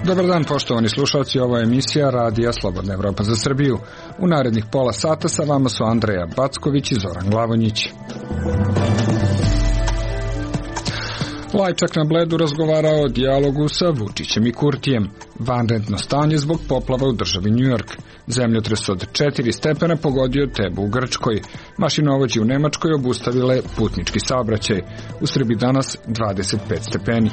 Dobar dan, poštovani slušalci, ovo je emisija Radija Slobodna Evropa za Srbiju. U narednih pola sata sa vama su Andreja Backović i Zoran Glavonjić. Lajčak na Bledu razgovarao o dijalogu sa Vučićem i Kurtijem. Vanredno stanje zbog poplava u državi New York. Zemljotres od 4 stepena pogodio Tebu u Grčkoj. Mašinovođe u Nemačkoj obustavile putnički saobraćaj. U Srbiji danas 25 stepeni.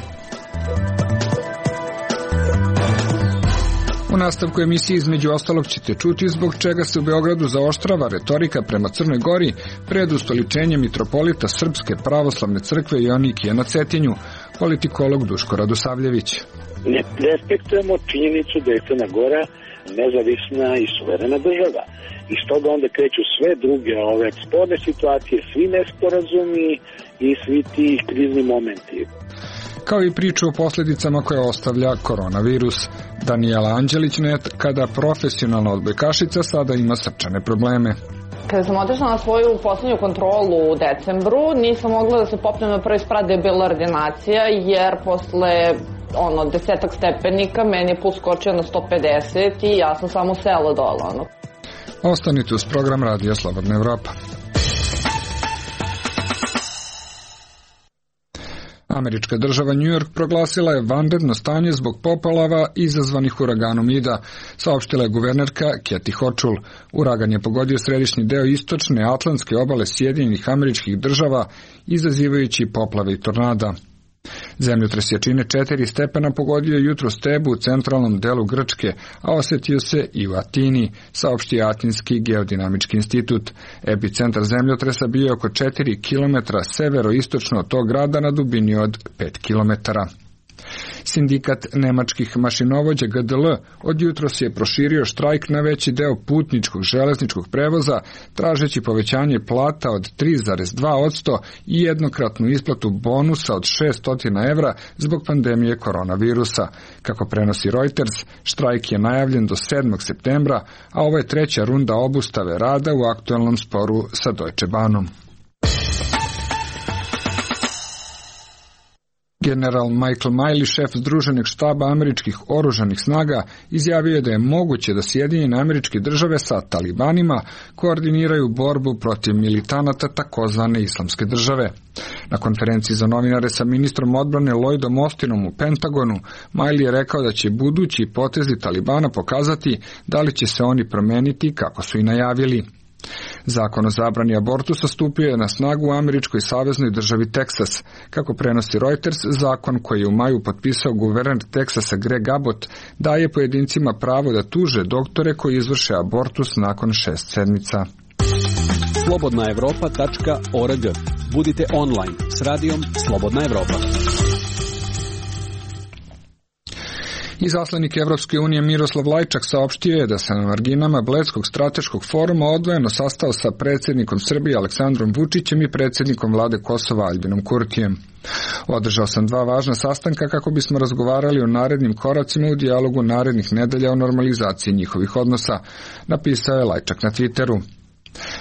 U nastavku emisije između ostalog ćete čuti zbog čega se u Beogradu zaoštrava retorika prema Crnoj Gori pred ustoličenjem mitropolita Srpske pravoslavne crkve Joanikija na Cetinju, politikolog Duško Radosavljević. Ne respektujemo činjenicu da je Crna Gora nezavisna i suverena država. I stoga onda kreću sve druge ove sporne situacije, svi nesporazumi i svi ti krizni momenti. Kao i priču o posljedicama koje ostavlja koronavirus. Danijela Anđelić, nekada profesionalna odbojkašica, sada ima srčane probleme. Kada sam otišla na svoju poslednju kontrolu u decembru, nisam mogla da se popnem na prvi sprat da je bila ordinacija, jer posle 10 stepenika meni je puls skočio na 150 i ja sam samo sela dole. Ostanite uz program Radija Slobodna Evropa. Američka država New York proglasila je vanredno stanje zbog poplava izazvanih uraganom Ida, saopštila je guvernerka Kathy Hochul. Uragan je pogodio središnji deo istočne atlantske obale Sjedinjenih Američkih Država, izazivajući poplave i tornada. Zemljotres jačine 4 stepena pogodio jutros Tebu u centralnom delu Grčke, a osetio se i u Atini, saopšti Atinski geodinamički institut. Epicentar zemljotresa bio je oko 4 km severoistočno od tog grada na dubini od 5 km. Sindikat nemačkih mašinovođa GDL od jutros je proširio štrajk na veći deo putničkog železničkog prevoza, tražeći povećanje plata od 3,2% i jednokratnu isplatu bonusa od 600 evra zbog pandemije koronavirusa. Kako prenosi Reuters, štrajk je najavljen do 7. septembra, a ovo je treća runda obustave rada u aktuelnom sporu sa Deutsche Bahnom. General Michael Miley, šef Združenih štaba američkih oružanih snaga, izjavio je da je moguće da Sjedinjene Američke Države sa talibanima koordiniraju borbu protiv militanata takozvane islamske države. Na konferenciji za novinare sa ministrom odbrane Lloydom Austinom u Pentagonu, Miley je rekao da će budući potezi Talibana pokazati da li će se oni promeniti kako su i najavili. Zakon o zabrani abortusa stupio je na snagu u američkoj saveznoj državi Teksas. Kako prenosi Reuters, zakon koji je u maju potpisao guverner Teksasa Greg Abbott daje pojedincima pravo da tuže doktore koji izvrše abortus nakon 6 sedmica. slobodnaevropa.org. Budite online s radijom Slobodna Evropa. Izaslanik Evropske unije Miroslav Lajčak saopštio je da se na marginama Bledskog strateškog foruma odvojeno sastao sa predsjednikom Srbije Aleksandrom Vučićem i predsjednikom vlade Kosova Aljbinom Kurtijem. Održao sam 2 važna sastanka kako bismo razgovarali o narednim koracima u dijalogu narednih nedelja o normalizaciji njihovih odnosa, napisao je Lajčak na Twitteru.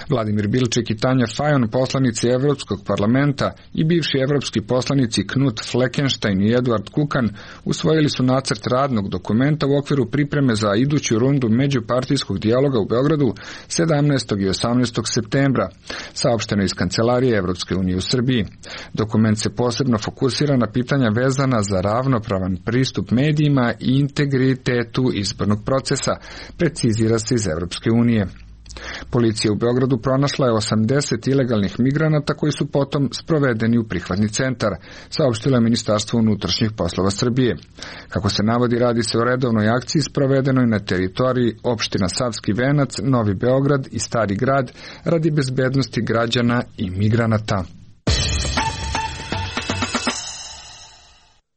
Vladimir Bilček i Tanja Fajon, poslanici Evropskog parlamenta, i bivši evropski poslanici Knut Fleckenstein i Eduard Kukan usvojili su nacrt radnog dokumenta u okviru pripreme za iduću rundu međupartijskog dijaloga u Beogradu 17. i 18. septembra, saopšteno iz Kancelarije Evropske unije u Srbiji. Dokument se posebno fokusira na pitanja vezana za ravnopravan pristup medijima i integritetu izbornog procesa, precizira se iz Evropske unije. Policija u Beogradu pronašla je 80 ilegalnih migranata koji su potom sprovedeni u prihvatni centar, saopštilo je Ministarstvo unutrašnjih poslova Srbije. Kako se navodi, radi se o redovnoj akciji sprovedenoj na teritoriji opština Savski Venac, Novi Beograd i Stari Grad radi bezbednosti građana i migranata.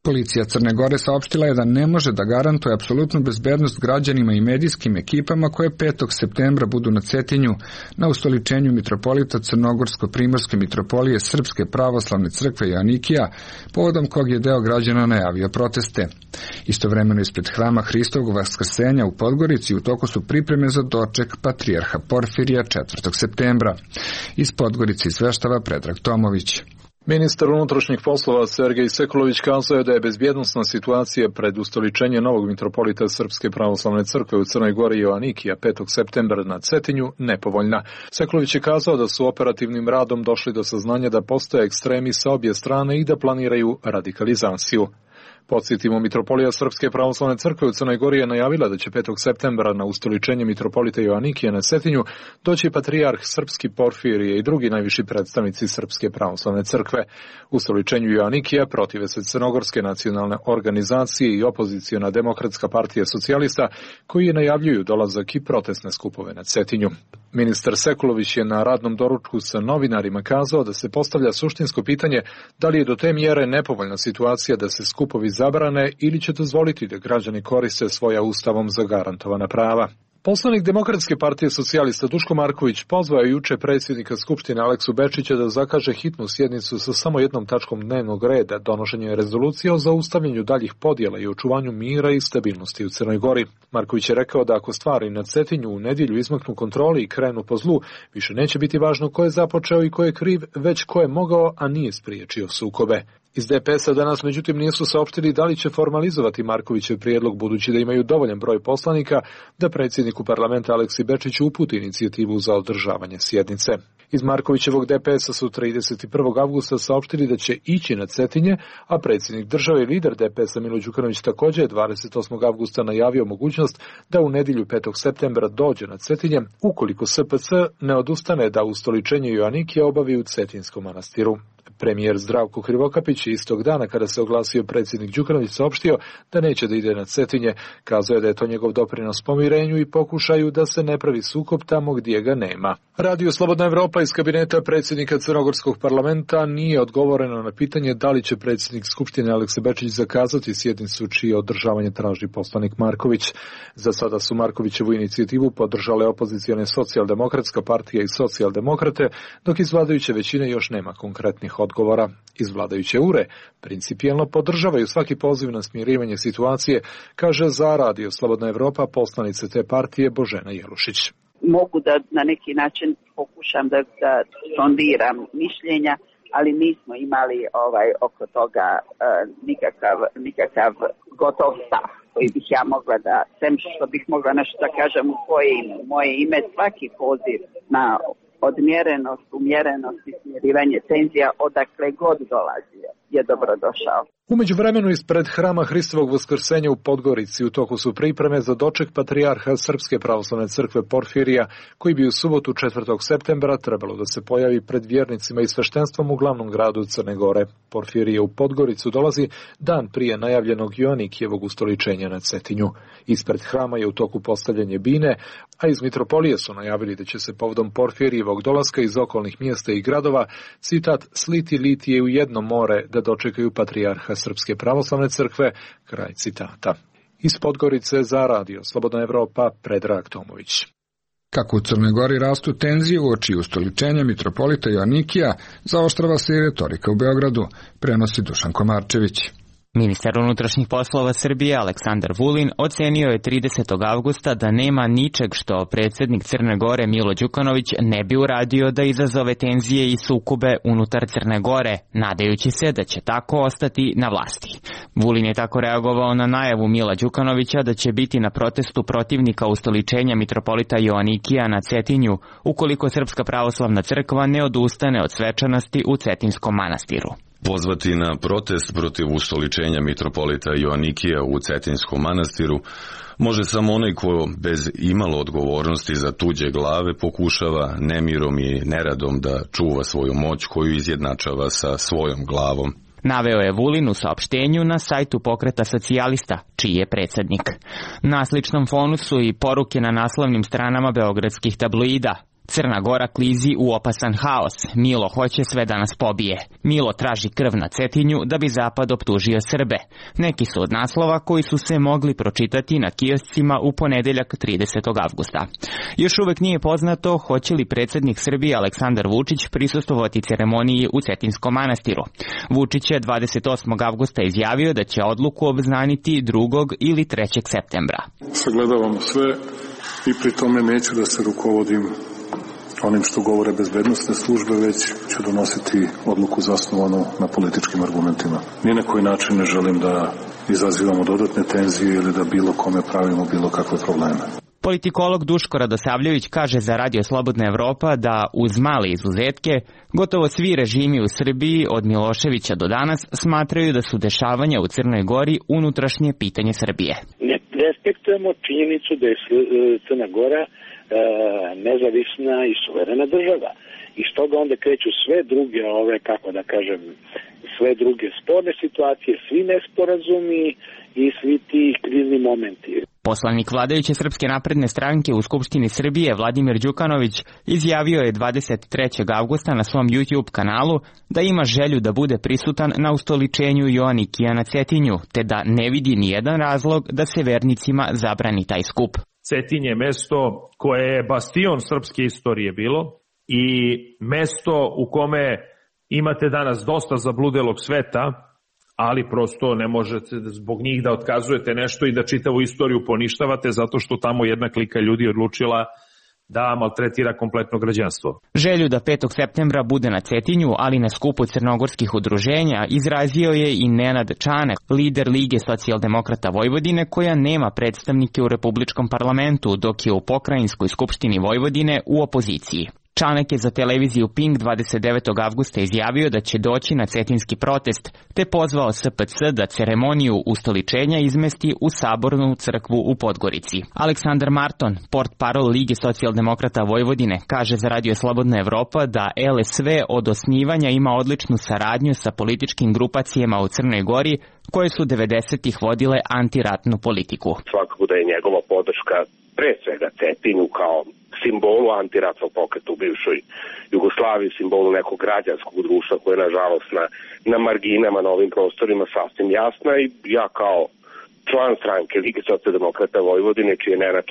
Policija Crne Gore saopštila je da ne može da garantuje apsolutnu bezbednost građanima i medijskim ekipama koje 5. septembra budu na Cetinju na ustoličenju mitropolita Crnogorsko-primorske mitropolije Srpske pravoslavne crkve Joanikija, povodom kog je deo građana najavio proteste. Istovremeno ispred hrama Hristovog Vaskrsenja u Podgorici u toku su pripreme za doček patrijarha Porfirija 4. septembra. Iz Podgorice izveštava Predrag Tomović. Ministar unutrašnjih poslova Sergej Sekulović kazao je da je bezbjednosna situacija pred ustoličenje novog mitropolita Srpske pravoslavne crkve u Crnoj Gori Joanikija 5. septembra na Cetinju nepovoljna. Sekulović je kazao da su operativnim radom došli do saznanja da postoje ekstremi sa obje strane i da planiraju radikalizaciju. Podsjetimo, mitropolija Srpske pravoslavne crkve u Crnoj Gori je najavila da će 5. septembra na ustoličenje mitropolita Joanikija na Cetinju doći patrijarh Srpski Porfirije i drugi najviši predstavnici Srpske pravoslavne crkve. Ustoličenju Joanikija protive se Crnogorske nacionalne organizacije i opoziciona Demokratska partija socijalista koji najavljuju dolazak i protestne skupove na Cetinju. Ministar Sekulović je na radnom doručku sa novinarima kazao da se postavlja suštinsko pitanje da li je do te mjere nepovoljna situacija da se skupovi zabrane ili će dozvoliti da građani koriste svoja ustavom zagarantovana prava. Poslanik Demokratske partije socijalista Duško Marković pozvao je juče predsjednika Skupštine Aleksu Bečića da zakaže hitnu sjednicu sa samo jednom tačkom dnevnog reda, donošenje rezolucije o zaustavljanju daljih podjela i očuvanju mira i stabilnosti u Crnoj Gori. Marković je rekao da ako stvari na Cetinju u nedjelju izmaknu kontroli i krenu po zlu, više neće biti važno ko je započeo i ko je kriv, već ko je mogao, a nije spriječio sukobe. Iz DPS-a danas međutim nisu saopštili da li će formalizovati Markovićev prijedlog budući da imaju dovoljan broj poslanika da predsjedniku parlamenta Aleksi Bečiću uputi inicijativu za održavanje sjednice. Iz Markovićevog DPS-a su 31. avgusta saopštili da će ići na Cetinje, a predsjednik države i lider DPS-a Milo Đukanović također je 28. avgusta najavio mogućnost da u nedjelju 5. septembra dođe na Cetinje, ukoliko SPC ne odustane da ustoličenje Joanikija obavi u Cetinskom manastiru. Premijer Zdravko Krivokapić istog dana kada se oglasio predsjednik Đukanović saopštio da neće da ide na Cetinje, kazao je da je to njegov doprinos pomirenju i pokušaju da se ne pravi sukob tamo gdje ga nema. Radio Slobodna Evropa iz kabineta predsjednika Crnogorskog parlamenta nije odgovoreno na pitanje da li će predsjednik Skupštine Aleksa Bečić zakazati sjednicu čije održavanje traži poslanik Marković. Za sada su Markovićevu inicijativu podržale opozicione Socijaldemokratska partija i Socijaldemokrate, dok iz vladajuće većine još nema konkretnih odgovora. Iz vladajuće ure principijelno podržavaju svaki poziv na smirivanje situacije, kaže za Radio Slobodna Evropa poslanica te partije Božena Jelušić. Mogu da na neki način pokušam da sondiram mišljenja, ali nismo imali oko toga nikakav gotov stav koji bih ja mogla da, sem što bih mogla nešto da kažem u moje ime, svaki poziv na odmjerenost, umjerenost i smirivanje tenzija odakle god dolazi je dobrodošao. U međuvremenu ispred hrama Hristovog Vaskrsenja u Podgorici u toku su pripreme za doček patrijarha Srpske pravoslavne crkve Porfirija, koji bi u subotu 4. septembra trebalo da se pojavi pred vjernicima i sveštenstvom u glavnom gradu Crne Gore. Porfirije u Podgoricu dolazi dan prije najavljenog Joanikijevog ustoličenja na Cetinju. Ispred hrama je u toku postavljanje bine, a iz mitropolije su najavili da će se povodom Porfirijevog dolaska iz okolnih mjesta i gradova, citat, sliti litije u jedno more da dočekaju patrijarha Srpske pravoslavne crkve, kraj citata. Iz Podgorice za Radio Slobodna Evropa, Predrag Tomović. Kako u Crnoj Gori rastu tenzije uoči ustoličenja mitropolita Joanikija, zaoštrava se i retorika u Beogradu, prenosi Dušan Komarčević. Ministar unutrašnjih poslova Srbije Aleksandar Vulin ocenio je 30. avgusta da nema ničeg što predsjednik Crne Gore Milo Đukanović ne bi uradio da izazove tenzije i sukobe unutar Crne Gore, nadajući se da će tako ostati na vlasti. Vulin je tako reagovao na najavu Mila Đukanovića da će biti na protestu protivnika ustoličenja mitropolita Joanikija na Cetinju, ukoliko Srpska pravoslavna crkva ne odustane od svečanosti u Cetinskom manastiru. Pozvati na protest protiv ustoličenja mitropolita Joanikija u Cetinskom manastiru može samo onaj ko bez imalo odgovornosti za tuđe glave pokušava nemirom i neradom da čuva svoju moć koju izjednačava sa svojom glavom. Naveo je Vulin u saopštenju na sajtu Pokreta socijalista, čiji je predsjednik. Na sličnom fonu su i poruke na naslovnim stranama beogradskih tabloida. Crna Gora klizi u opasan haos. Milo hoće sve da nas pobije. Milo traži krv na Cetinju da bi Zapad optužio Srbe. Neki su od naslova koji su se mogli pročitati na kioscima u ponedeljak 30. avgusta. Još uvek nije poznato hoće li predsjednik Srbije Aleksandar Vučić prisustvovati ceremoniji u Cetinskom manastiru. Vučić je 28. avgusta izjavio da će odluku obznaniti 2. ili 3. septembra. Sagledavam sve i pri tome neću da se rukovodim onim što govore bezbednosne službe, već ću donositi odluku zasnovanu na političkim argumentima. Ni na koji način ne želim da izazivamo dodatne tenzije ili da bilo kome pravimo bilo kakve probleme. Politikolog Duško Radosavljević kaže za Radio Slobodna Evropa da uz male izuzetke gotovo svi režimi u Srbiji od Miloševića do danas smatraju da su dešavanja u Crnoj Gori unutrašnje pitanje Srbije. Ne respektujemo činjenicu da je Crna Gora nezavisna i suverena država. I stoga onda kreću sve druge sve druge sporne situacije, svi nesporazumi i svi ti krizni momenti. Poslanik vladajuće Srpske napredne stranke u Skupštini Srbije Vladimir Đukanović izjavio je 23. avgusta na svom YouTube kanalu da ima želju da bude prisutan na ustoličenju Joanikija na Cetinju, te da ne vidi nijedan razlog da se vernicima zabrani taj skup. Cetinj je mesto koje je bastion srpske istorije bilo i mesto u kome imate danas dosta zabludelog sveta, ali prosto ne možete zbog njih da otkazujete nešto i da čitavu istoriju poništavate zato što tamo jedna klika ljudi odlučila da maltretira kompletno građanstvo. Želju da 5. septembra bude na Cetinju, ali na skupu crnogorskih udruženja, izrazio je i Nenad Čanak, lider Lige socijaldemokrata Vojvodine, koja nema predstavnike u Republičkom parlamentu, dok je u Pokrajinskoj skupštini Vojvodine u opoziciji. Čanak je za televiziju Pink 29. avgusta izjavio da će doći na cetinski protest, te pozvao SPC da ceremoniju ustoličenja izmesti u Sabornu crkvu u Podgorici. Aleksandar Marton, portparol Lige socijaldemokrata Vojvodine, kaže za Radio Slobodna Evropa da LSV od osnivanja ima odličnu saradnju sa političkim grupacijama u Crnoj Gori, koje su 90-ih vodile antiratnu politiku. Svakako da je njegova podrška pre svega Cetinju kao simbolu antiratnog pokreta u bivšoj Jugoslaviji, simbolu nekog građanskog društva koje je nažalost na marginama na ovim prostorima sasvim jasna, i ja kao član stranke Lige socijaldemokrata Vojvodine, čiji je Nenad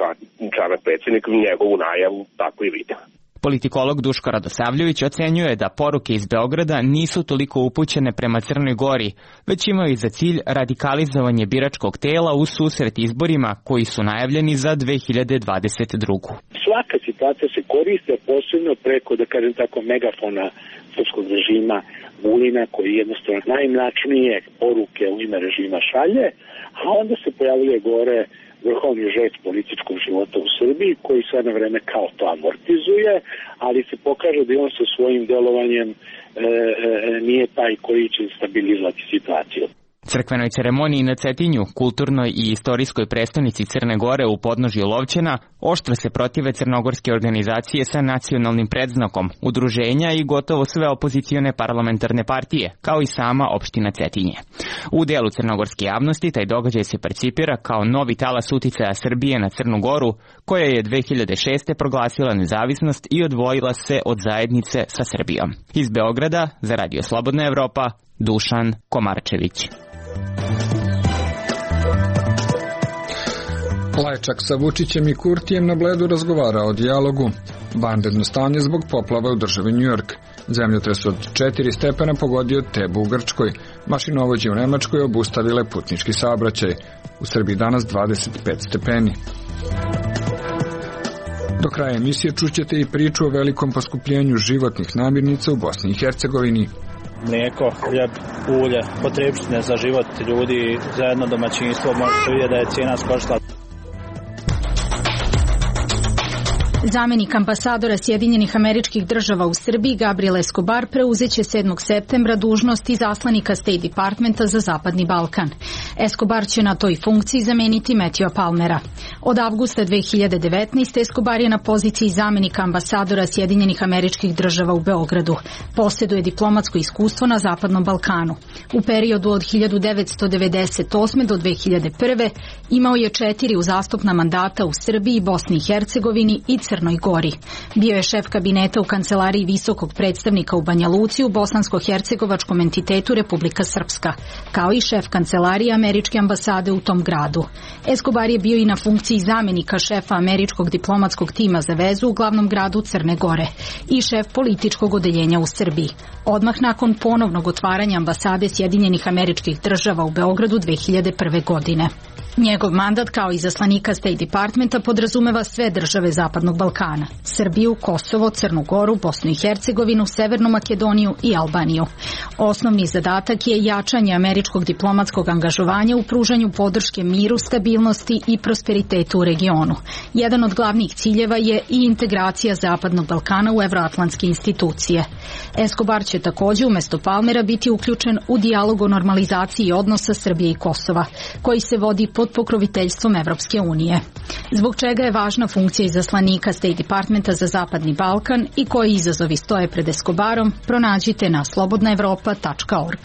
Čanak predsjednik, njegovu najavu tako i vidim. Politikolog Duško Radosavljević ocenjuje da poruke iz Beograda nisu toliko upućene prema Crnoj Gori, već imaju za cilj radikalizovanje biračkog tela u susret izborima koji su najavljeni za 2022. Svaka situacija se koriste posebno preko, da kažem tako, megafona srpskog režima Vulina, koji jednostavno najmračnije poruke u ime režima šalje, a onda se pojavljuje gore vrhovni žet političkog života u Srbiji, koji sve na vreme kao to amortizuje, ali se pokaže da on sa svojim delovanjem nije taj koji će stabilizovati situaciju. Crkvenoj ceremoniji na Cetinju, kulturnoj i istorijskoj prestonici Crne Gore u podnožju Lovćena, oštro se protive crnogorske organizacije sa nacionalnim predznakom, udruženja i gotovo sve opozicione parlamentarne partije, kao i sama opština Cetinje. U delu crnogorske javnosti taj događaj se percipira kao novi talas uticaja Srbije na Crnu Goru, koja je 2006. proglasila nezavisnost i odvojila se od zajednice sa Srbijom. Iz Beograda, za Radio Slobodna Evropa, Dušan Komarčević. Lajčak sa Vučićem i Kurtijem na Bledu razgovara o dijalogu. Vanredno stanje zbog poplava u državi New York. Zemljotres od 4 stepena pogodio Tebu u Grčkoj. Mašinovođe u Nemačkoj obustavile putnički saobraćaj. U Srbiji danas 25 stepeni. Do kraja emisije čućete i priču o velikom poskupljenju životnih namirnica u Bosni i Hercegovini. Mlijeko, hljeb, ulje, potrebštine za život ljudi, za jedno domaćinstvo, možete vidjeti da je cijena skočila. Zamenik ambasadora Sjedinjenih Američkih Država u Srbiji Gabriel Escobar preuzeće 7. septembra dužnost izaslanika State Departmenta za Zapadni Balkan. Escobar će na toj funkciji zameniti Matthewa Palmera. Od avgusta 2019. Escobar je na poziciji zamenika ambasadora Sjedinjenih Američkih Država u Beogradu. Posjeduje diplomatsko iskustvo na Zapadnom Balkanu. U periodu od 1998. do 2001. imao je 4 uzastopna mandata u Srbiji, Bosni i Hercegovini i Crnoj Crnoj Gori. Bio je šef kabineta u kancelariji visokog predstavnika u Banja Luci u bosansko-hercegovačkom entitetu Republika Srpska, kao i šef kancelarije američke ambasade u tom gradu. Escobar je bio i na funkciji zamjenika šefa američkog diplomatskog tima za vezu u glavnom gradu Crne Gore i šef političkog odeljenja u Srbiji, odmah nakon ponovnog otvaranja ambasade Sjedinjenih Američkih Država u Beogradu 2001. godine. Njegov mandat kao izaslanika State Departmenta podrazumeva sve države Zapadnog Balkana: Srbiju, Kosovo, Crnu Goru, Bosnu i Hercegovinu, Severnu Makedoniju i Albaniju. Osnovni zadatak je jačanje američkog diplomatskog angažovanja u pružanju podrške miru, stabilnosti i prosperitetu u regionu. Jedan od glavnih ciljeva je i integracija Zapadnog Balkana u evroatlantske institucije. Escobar će također umjesto Palmera biti uključen u dijalog o normalizaciji odnosa Srbije i Kosova, koji se vodi pod pokroviteljstvom Evropske unije. Zbog čega je važna funkcija izaslanika State Departmenta za Zapadni Balkan i koji izazovi stoje pred Escobarom, pronađite na slobodnaevropa.org.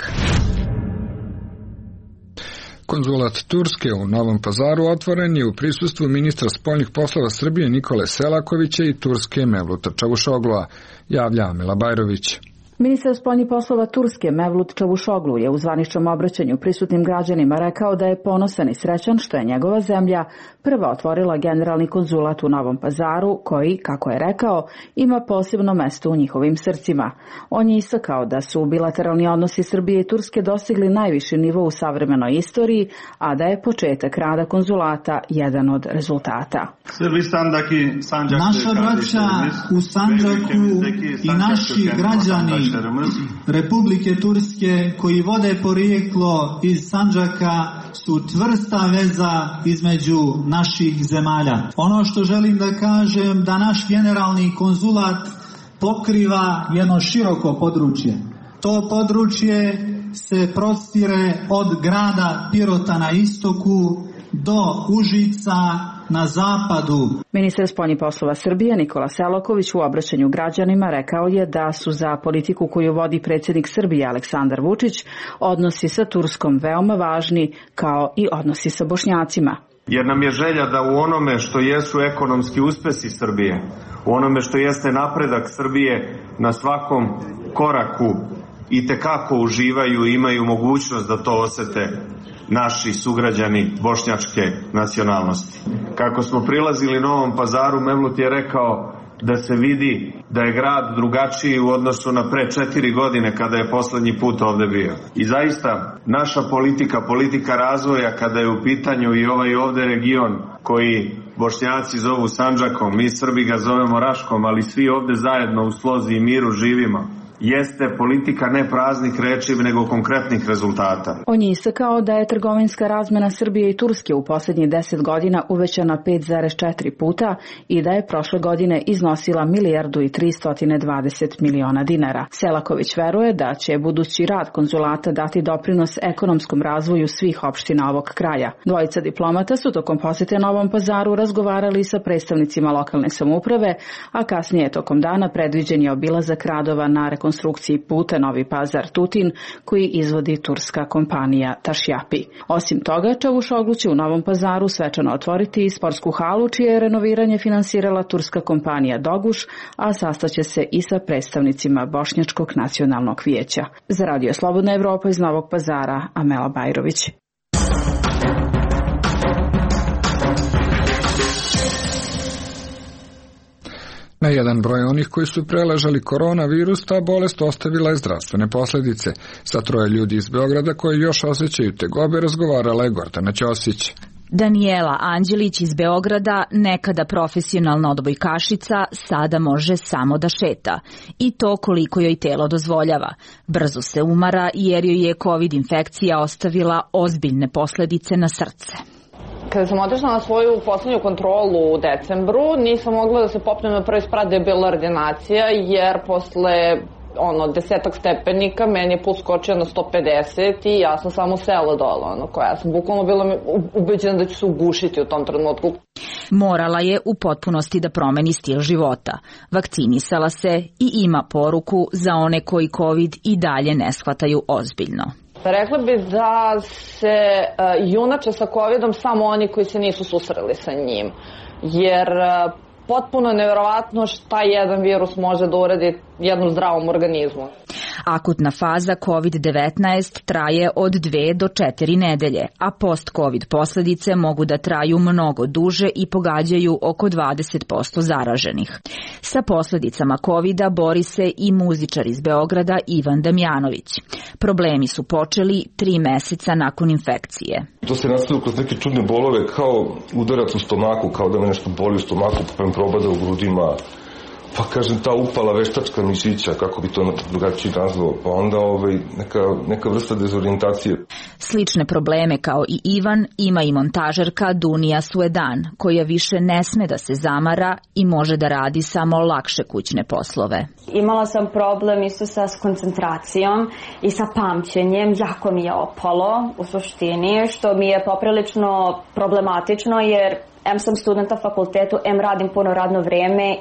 Konzulat Turske u Novom Pazaru otvoren je u prisustvu ministra spoljnih poslova Srbije Nikole Selakovića i Turske Mevluta Čavuşoglua, javlja Amela Bajrović. Ministar spoljnih poslova Turske Mevlut Čavuşoglu je u zvaničnom obraćanju prisutnim građanima rekao da je ponosan i srećan što je njegova zemlja prva otvorila generalni konzulat u Novom Pazaru koji, kako je rekao, ima posebno mesto u njihovim srcima. On je istakao da su bilateralni odnosi Srbije i Turske dostigli najviši nivo u savremenoj istoriji, a da je početak rada konzulata jedan od rezultata. Naša braća u Sandžaku i naši građani Republike Turske koji vode porijeklo iz Sandžaka su čvrsta veza između naših zemalja. Ono što želim da kažem da naš generalni konzulat pokriva jedno široko područje. To područje se prostire od grada Pirota na istoku do Užica na zapadu. Ministar spoljnih poslova Srbije Nikola Selaković u obraćanju građanima rekao je da su za politiku koju vodi predsjednik Srbije Aleksandar Vučić odnosi sa Turskom veoma važni, kao i odnosi sa Bošnjacima. Jer nam je želja da u onome što jesu ekonomski uspesi Srbije, u onome što jeste napredak Srbije na svakom koraku itekako uživaju i imaju mogućnost da to osete naši sugrađani bošnjačke nacionalnosti. Kako smo prilazili Novom Pazaru, Mevlut je rekao da se vidi da je grad drugačiji u odnosu na pre 4 godine kada je poslednji put ovde bio. I zaista naša politika razvoja kada je u pitanju i ovaj ovde region koji Bošnjaci zovu Sandžakom, mi Srbi ga zovemo Raškom, ali svi ovde zajedno u slozi i miru živimo, jeste politika ne praznih reči, nego konkretnih rezultata. On je istakao da je trgovinska razmena Srbije i Turske u posljednjih 10 godina uvećana 5,4 puta i da je prošle godine iznosila $1.320 miliona. Selaković veruje da će budući rad konzulata dati doprinos ekonomskom razvoju svih opština ovog kraja. Dvojica diplomata su tokom posete Novom Pazaru razgovarali sa predstavnicima lokalne samouprave, a kasnije tokom dana predviđen je obilazak radova na rekonstrukciji puta Novi Pazar-Tutin koji izvodi turska kompanija Tašjapi. Osim toga, Čavuşoglu će u Novom Pazaru svečano otvoriti i sportsku halu čije je renoviranje finansirala turska kompanija Doguš, a sastaće se i sa predstavnicima Bošnjačkog nacionalnog vijeća. Za Radio Slobodna Evropa iz Novog Pazara, Amela Bajrović. Na jedan broj onih koji su preležali koronavirus, ta bolest ostavila je zdravstvene posljedice. Sa 3 ljudi iz Beograda koji još osjećaju tegobe razgovarala je Gordana Ćosić. Danijela Anđelić iz Beograda, nekada profesionalna odbojkašica, sada može samo da šeta. I to koliko joj telo dozvoljava. Brzo se umara jer joj je COVID infekcija ostavila ozbiljne posljedice na srce. Kada sam otišla na svoju poslednju kontrolu u decembru, nisam mogla da se popnem na prvi sprat da je bila ordinacija, jer posle 10 stepenika meni je puls skočio na 150 i ja sam samo sela dole. Ja sam bukvalno bila ubeđena da ću se ugušiti u tom trenutku. Morala je u potpunosti da promeni stil života. Vakcinisala se i ima poruku za one koji COVID i dalje ne shvataju ozbiljno. Rekla bi da se junače sa COVID-om samo oni koji se nisu susreli sa njim, jer potpuno neverovatno šta jedan virus može da uradi jednom zdravom organizmu. Akutna faza COVID-19 traje od 2 do 4 nedelje, a post-COVID posledice mogu da traju mnogo duže i pogađaju oko 20% zaraženih. Sa posledicama COVID-a bori se i muzičar iz Beograda Ivan Damjanović. Problemi su počeli 3 meseca nakon infekcije. To se nastavilo kroz neke čudne bolove, kao udarac u stomaku, kao da me nešto boli u stomaku, pa me probada u grudima. Pa kažem, ta upala veštačka mišića, kako bi to drugačije nazvao, pa onda neka vrsta dezorijentacije. Slične probleme kao i Ivan ima i montažerka Dunija Suedan, koja više ne sme da se zamara i može da radi samo lakše kućne poslove. Imala sam problem isto sa koncentracijom i sa pamćenjem, jako mi je opalo u suštini, što mi je poprilično problematično jer M sam student na fakultetu, M radim puno radno vreme.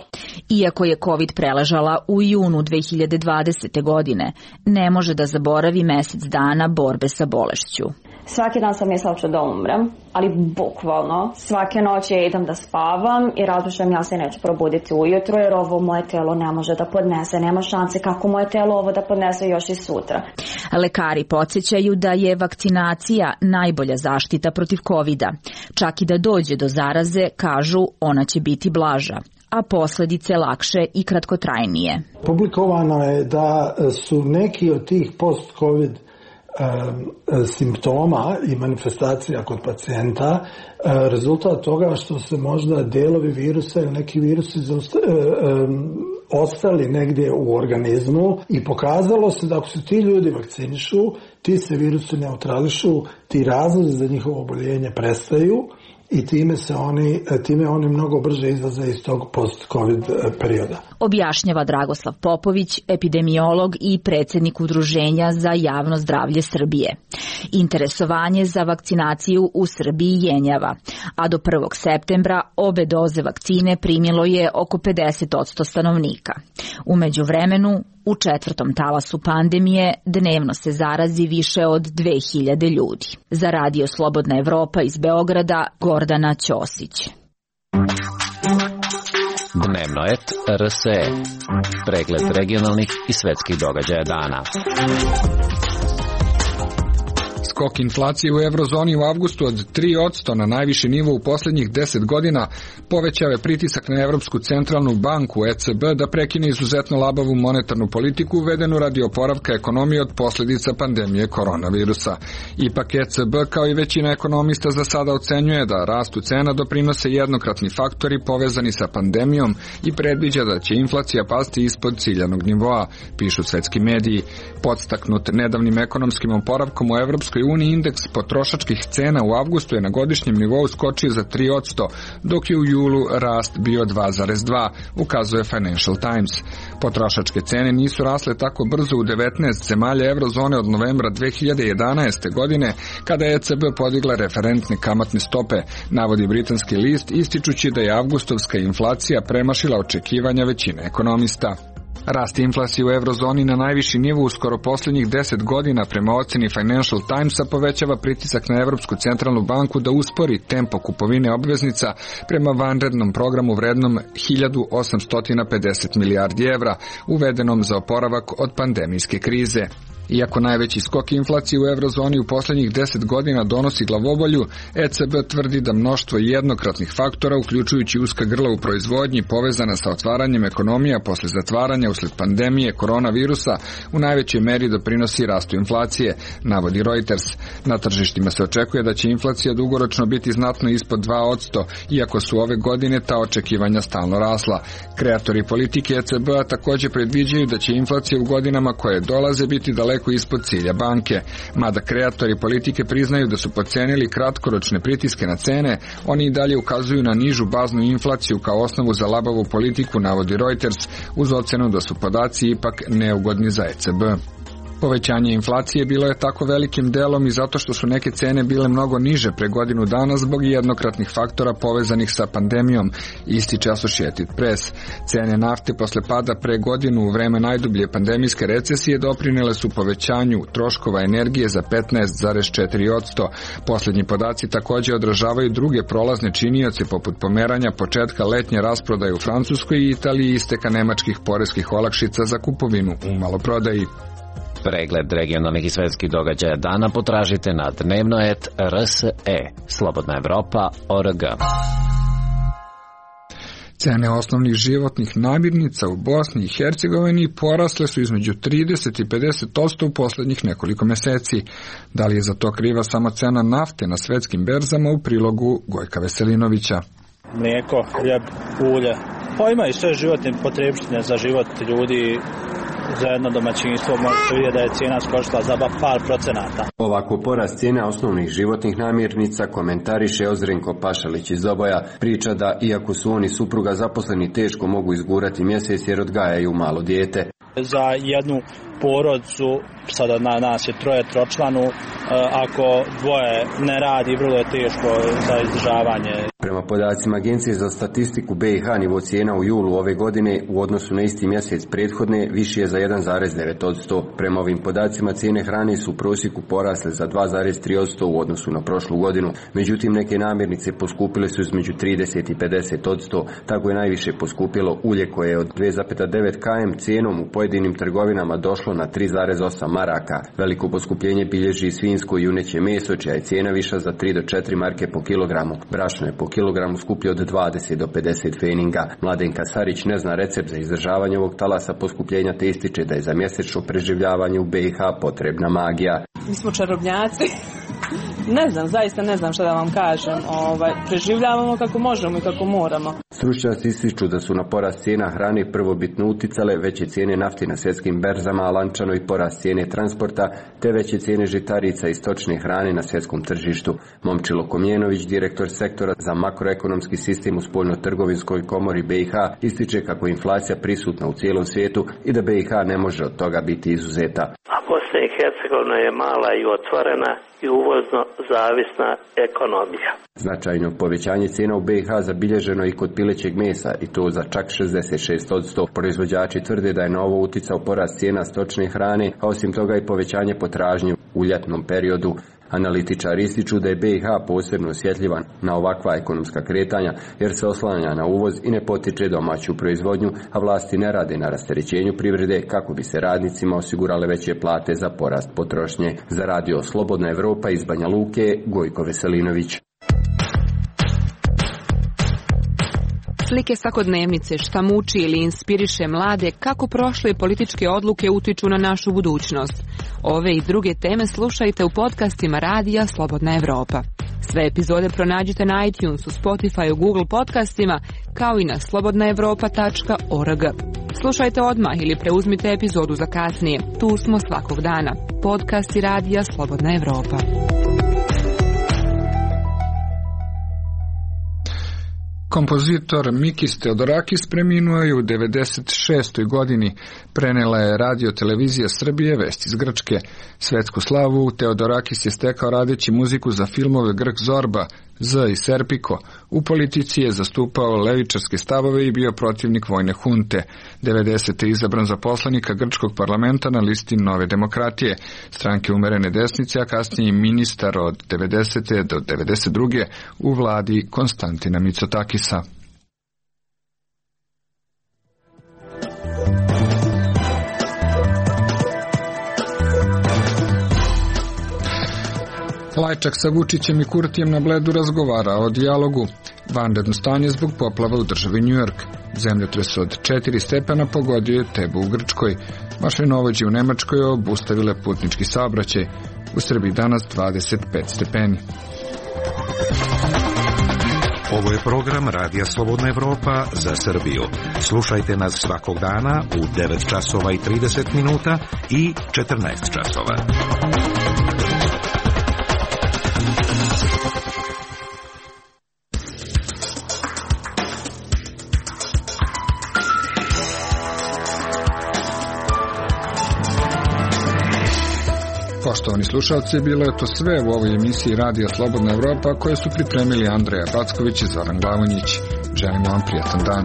Iako je COVID preležala u junu 2020. godine, ne može da zaboravi mesec dana borbe sa bolešću. Svaki dan sam mislila ću da umrem, ali bukvalno svake noći idem da spavam i razmišljam ja se neću probuditi ujutro jer ovo moje telo ne može da podnese, nema šanse kako moje telo ovo da podnese još i sutra. Lekari podsjećaju da je vakcinacija najbolja zaštita protiv COVID-a. Čak i da dođe do zaraze, kažu ona će biti blaža, a posledice lakše i kratkotrajnije. Publikovano je da su neki od tih post-COVID simptoma i manifestacija kod pacijenta rezultat toga što se možda delovi virusa ili neki virusi ostali negdje u organizmu i pokazalo se da ako se ti ljudi vakcinišu, ti se virusi neutrališu, ti razlozi za njihovo oboljenje prestaju i time oni mnogo brže izlaze iz tog post-COVID perioda. Objašnjava Dragoslav Popović, epidemiolog i predsjednik Udruženja za javno zdravlje Srbije. Interesovanje za vakcinaciju u Srbiji jenjava, a do 1. septembra obe doze vakcine primilo je oko 50% stanovnika. U međuvremenu, u 4. talasu pandemije dnevno se zarazi više od 2000 ljudi. Za Radio Slobodna Evropa iz Beograda, Gordana Ćosić. Dnevno et RSE. Pregled regionalnih i svetskih događaja dana. Skok inflacije u eurozoni u avgustu od 3% na najviši nivo u posljednjih 10 godina povećao je pritisak na Evropsku centralnu banku ECB da prekine izuzetno labavu monetarnu politiku uvedenu radi oporavka ekonomije od posljedica pandemije koronavirusa. Ipak ECB kao i većina ekonomista za sada ocenjuje da rastu cena doprinose jednokratni faktori povezani sa pandemijom i predviđa da će inflacija pasti ispod ciljanog nivoa, pišu svetski mediji. Podstaknut nedavnim ekonomskim oporavkom u Evropskoj uniji indeks potrošačkih cena u avgustu je na godišnjem nivou skočio za 3%, dok je u julu rast bio 2,2%, ukazuje Financial Times. Potrošačke cene nisu rasle tako brzo u 19 zemalja eurozone od novembra 2011. godine, kada je ECB podigla referentne kamatne stope, navodi britanski list, ističući da je avgustovska inflacija premašila očekivanja većine ekonomista. Rast inflacije u eurozoni na najviši nivo u skoro posljednjih 10 godina prema oceni Financial Timesa povećava pritisak na Evropsku centralnu banku da uspori tempo kupovine obveznica prema vanrednom programu vrednom 1850 milijardi evra, uvedenom za oporavak od pandemijske krize. Iako najveći skok inflacije u eurozoni u posljednjih 10 godina donosi glavobolju, ECB tvrdi da mnoštvo jednokratnih faktora, uključujući uska grla u proizvodnji povezana sa otvaranjem ekonomija posle zatvaranja usled pandemije koronavirusa, u najvećoj meri doprinosi rastu inflacije, navodi Reuters. Na tržištima se očekuje da će inflacija dugoročno biti znatno ispod 2%, iako su ove godine ta očekivanja stalno rasla. Kreatori politike ECB-a također predviđaju da će inflacija u godinama koje dolaze biti daleko ispod cilja banke. Mada kreatori politike priznaju da su podcenili kratkoročne pritiske na cene, oni i dalje ukazuju na nižu baznu inflaciju kao osnovu za labavu politiku, navodi Reuters, uz ocenu da su podaci ipak neugodni za ECB. Povećanje inflacije bilo je tako velikim delom i zato što su neke cene bile mnogo niže pre godinu dana zbog jednokratnih faktora povezanih sa pandemijom, ističe Associated Press. Cene nafte posle pada pre godinu u vreme najdublje pandemijske recesije doprinele su povećanju troškova energije za 15,4%. Poslednji podaci takođe odražavaju druge prolazne činioce poput pomeranja početka letnje rasprodaje u Francuskoj i Italiji i isteka nemačkih poreskih olakšica za kupovinu u maloprodaji. Pregled regionalnih i svetskih događaja dana potražite na dnevno.rse, slobodnaevropa.org. Cene osnovnih životnih namirnica u Bosni i Hercegovini porasle su između 30 i 50% u poslednjih nekoliko meseci. Da li je za to kriva samo cena nafte na svetskim berzama, u prilogu Gojka Veselinovića. Mlijeko, hljeb, ulje, pa ima i sve životne potrebštine za život ljudi. Za jedno domaćinstvo možete vidjeti da je cijena skočila za par procenata. Ovako porast cijena osnovnih životnih namirnica komentariše Ozrenko Pašalić iz Oboja. Priča da iako su oni supruga zaposleni teško mogu izgurati mjesec jer odgajaju malo dijete. Za jednu porodcu, sada na nas je tročlanu, ako dvoje ne radi, vrlo je teško za izdržavanje. Prema podacima Agencije za statistiku BiH, nivo cijena u julu ove godine u odnosu na isti mjesec prethodne viši je za 1,9%. Prema ovim podacima cijene hrane su u prosjeku porasle za 2,3% u odnosu na prošlu godinu. Međutim, neke namirnice poskupile su između 30 i 50%. Tako je najviše poskupilo ulje koje je od 2,9 km cijenom u pojedinim trgovinama došlo na 3,8 maraka. Veliko poskupljenje bilježi svinjsko i juneće meso, čija je cijena viša za 3 do 4 marke po kilogramu. Brašno je po kilogramu skuplje od 20 do 50 feninga. Mladenka Sarić ne zna recept za izdržavanje ovog talasa poskupljenja te ističe da je za mjesečno preživljavanje u BiH potrebna magija. Mi smo čarobnjaci. Ne znam, zaista ne znam šta da vam kažem. Preživljavamo kako možemo i kako moramo. Stručnjaci ističu da su na porast cijena hrane prvobitno uticale veće cijene nafte na svjetskim berzama, a lančano i porast cijene transporta, te veće cijene žitarica i stočne hrane na svjetskom tržištu. Momčilo Komjenović, direktor sektora za makroekonomski sistem u Spoljno-trgovinskoj komori BiH, ističe kako je inflacija prisutna u cijelom svijetu i da BiH ne može od toga biti izuzeta. A Bosna i Hercegovina je mala i otvorena i uvozno zavisna ekonomija. Značajno povećanje cijena u BiH zabilježeno i kod pilećeg mesa i to za čak 66%. Proizvođači tvrde da je na ovo uticao porast cijena stočne hrane, a osim toga i povećanje potražnje u ljetnom periodu. Analitičari ističu da je BiH posebno osjetljivan na ovakva ekonomska kretanja jer se oslanja na uvoz i ne potiče domaću proizvodnju, a vlasti ne rade na rasterećenju privrede kako bi se radnicima osigurale veće plate za porast potrošnje. Za radio Slobodna Evropa iz Banja Luke, Gojko Veselinović. Slike svakodnevnice, šta muči ili inspiriše mlade, kako prošle političke odluke utiču na našu budućnost. Ove i druge teme slušajte u podcastima radija Slobodna Evropa. Sve epizode pronađite na iTunesu, Spotify, Google podcastima, kao i na slobodnaevropa.org. Slušajte odmah ili preuzmite epizodu za kasnije. Tu smo svakog dana. Podcasti radija Slobodna Evropa. Kompozitor Mikis Theodorakis preminuo je u 96. godini. Prenela je Radio Televizija Srbije vesti iz Grčke. Svetsku slavu Theodorakis je stekao radeći muziku za filmove Grk Zorba, Z i Serpiko. U politici je zastupao levičarske stavove i bio protivnik vojne hunte. 90. je izabran za poslanika grčkog parlamenta na listi Nove demokratije, stranke umerene desnice, a kasnije ministar od 90. do 92. u vladi Konstantina Mitsotakisa. Lajčak sa Vučićem i Kurtijem na Bledu razgovara o dijalogu. Vanredno stanje zbog poplava u državi New York. Zemljotres od 4 stepena pogodio je Tebu u Grčkoj. Mašinovođe u Nemačkoj obustavile putnički saobraćaj. U Srbiji danas 25 stepeni. Ovo je program Radija Slobodna Evropa za Srbiju. Slušajte nas svakog dana u 9 časova i 30 minuta i 14 časova. Poštovani slušalci, bilo je to sve u ovoj emisiji Radija Slobodna Evropa koje su pripremili Andreja Backović i Zoran Glavonjić. Želimo vam prijatan dan.